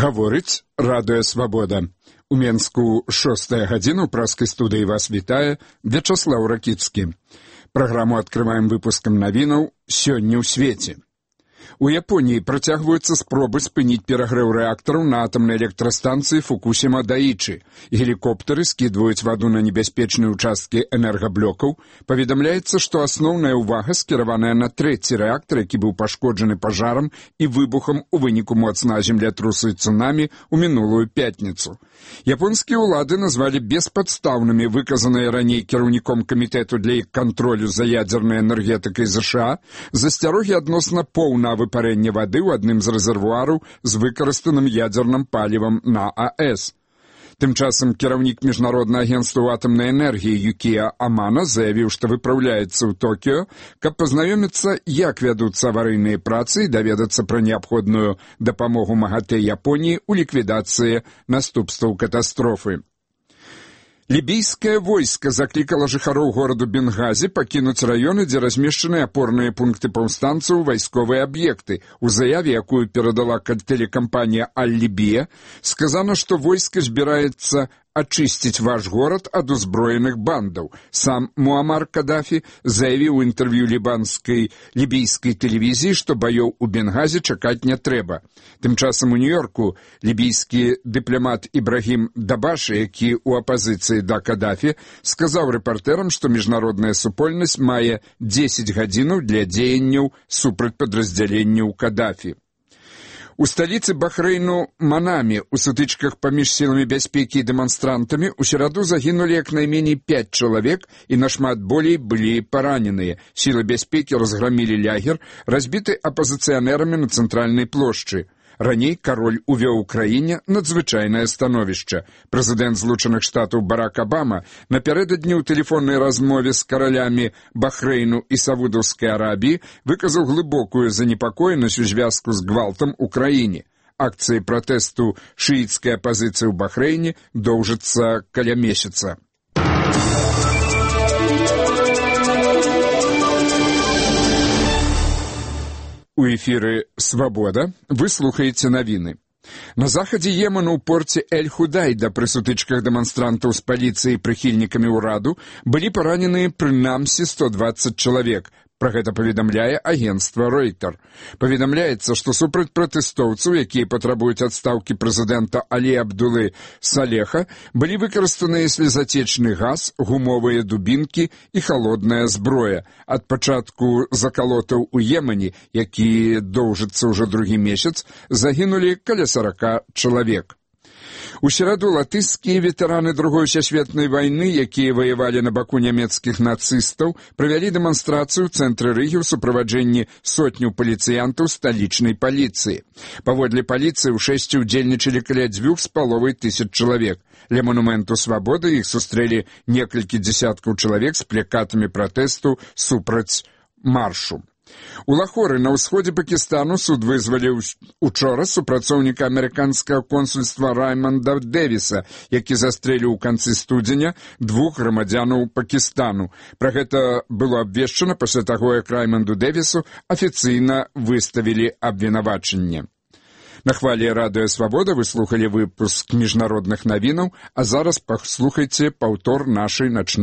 Гаворыць Радыё Свабода. У Менску 6 гадзіна ў праскай студыі вас вітае Вячаслаў Ракіцкі. Праграму адкрываем выпускам навінаў «Сёння ў свеце». У Японіі працягваюцца спробы спыніць перагрэў рэактараў на атамнай электрастанцыі Фукусіма-Даічы. Гелікоптары скідваюць ваду на небяспечныя ўчасткі энергаблокаў. Паведамляецца, што асноўная ўвага скіраваная на трэці рэактар, які быў пашкоджаны пажарам і выбухам у выніку моцнага землятрусу і цунамі ў мінулую пятніцу. Японскія ўлады назвалі беспадстаўнымі выказаныя раней кіраўніком камітэту для іх кантролю за ядзернай энергетыкай ЗША засцярогі адносна поўнага выпарэння вады ў адным з рэзервуараў з выкарыстаным ядзерным палівам на АЭС. Тым часам кіраўнік Міжнароднага агенцтва атамнай энергіі Юкія Амана заявіў, што выпраўляецца ў Токіё, каб пазнаёміцца, як вядуцца аварыйныя працы і даведацца пра неабходную дапамогу МАГАТЭ Японіі ў ліквідацыі наступстваў катастрофы. Лібійскае войска заклікала жыхароў гораду Бенгазі пакінуць раёны, дзе размешчаны апорныя пункты паўстанцаў, вайсковыя аб'екты. У заяве, якую перадала тэлекампанія «Аль-Лібія», сказана, што войска збіраецца ачысціць ваш горад ад узброеных бандаў. Сам Муамар Кадафі заявіў у інтэрв'ю лібійскай тэлевізіі, што баёў у Бенгазі чакаць не трэба. Тым часам у Нью-Йорку лібійскі дыпламат Ібрагім Дабашы, які ў апазіцыі да Кадафі, сказаў рэпартэрам, што міжнародная супольнасць мае 10 гадзінаў для дзеянняў супраць падраздзяленняў Кадафі. У сталіцы Бахрэйну Манамі ў сутычках паміж сіламі бяспекі і дэманстрантамі ў сераду загінулі як найменей 5 чалавек і нашмат болей былі параненыя. Сілы бяспекі разграмілі лагер, разбіты апазіцыянэрамі на цэнтральнай плошчы. Раней кароль увёў у краіне надзвычайнае становішча. Прэзідэнт Злучаных Штатаў Барак Абама напярэдадні ў тэлефоннай размове з каралямі Бахрэйну і Саудаўскай Арабіі выказаў глыбокую занепакоенасць у звязку з гвалтам у краіне. Акцыі пратэсту шыіцкай апазіцыі ў Бахрэйне доўжыцца каля месяца. У эфіры «Свабода» вы слухаеце навіны. На захадзе Йемену ў порце Эль-Худайда пры сутычках дэманстрантаў з паліцыяй і прыхільнікамі ўраду былі параненыя прынамсі 120 чалавек. Пра гэта паведамляе агенцтва Ройтер. Паведамляецца, што супраць пратэстоўцаў, якія патрабуюць адстаўкі прэзідэнта Алі Абдулы Салеха, былі выкарыстаныя слезацечны газ, гумовыя дубінкі і халодная зброя. Ад пачатку закалотаў у Йемене, які доўжыцца ўжо другі месяц, загінулі каля 40 чалавек. У сераду латышскія ветэраны Другой сусветнай вайны, якія ваявалі на баку нямецкіх нацыстаў, правялі дэманстрацыю ў цэнтры Рыгі ў суправаджэнні сотняў паліцыянтаў сталічнай паліцыі. Паводле паліцыі ў шэсці ўдзельнічалі каля 2500 чалавек. Ля манументу Свабоды іх сустрэлі некалькі дзесяткаў чалавек з плакатамі пратэсту супраць маршу. У Лахоры на ўсходзе Пакістану суд вызваліў учора супрацоўніка амерыканскага консульства Райманда Дэвіса, які застрэліў у канцы студзеня 2 грамадзянаў Пакістану. Пра гэта было абвешчана пасля таго, як Райманду Дэвісу афіцыйна выставілі абвінавачанне. На хвалі Радыё Свабода вы слухалі выпуск міжнародных навінаў, а зараз паслухайце паўтор нашай начной